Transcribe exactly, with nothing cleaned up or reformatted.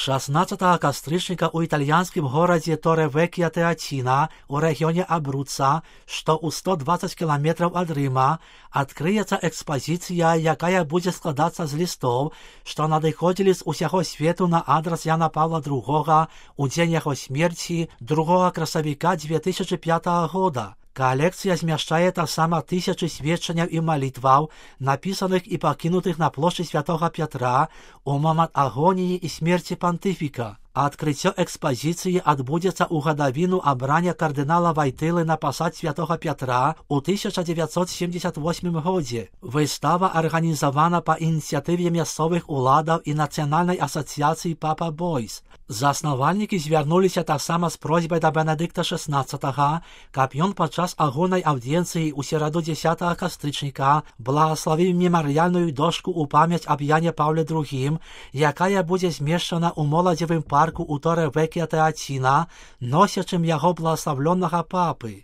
шаснаццатага кастрычніка ў італьянскім горадзе Торе-Век'я-Теаціна ў рэгіёне Абруца, што ў сто дваццаць кіламетраў ад Рыма, адкрыецца экспазіцыя, якая будзе складацца з лістоў, што надыходзілі з усяго свету на адрас Яна Паўла другога ў дзень яго смерці другога красавіка дзве тысячы пятага года. Калекцыя змяшчае таксама тысячы сведчанняў і малітваў, напісаных і пакінутых на плошчы святога Пятра ў момант агоніі і смерці пантыфіка. Адкрыццё экспазіцыі адбудзецца ў гадавіну абрання кардынала Вайтылы на пасад святога Пятра ў тысяча дзевяцьсот семдзесят восьмым годзе. Выстава арганізавана па ініцыятыве мясцовых уладаў і Нацыянальнай асацыяцыі Папа Бойс. Заснавальнікі звярнуліся таксама з просьбай да Бенедыкта шаснаццатага, каб ён падчас агульнай аўдыенцыі ў сераду дзесятага кастрычніка благаславіў мемарыяльную дошку ў памяць аб Яне Паўле другім, якая будзе змешчана ў моладзевым парку у Торе-Век'я-Теаціна, носячым яго благаславлёнага папы.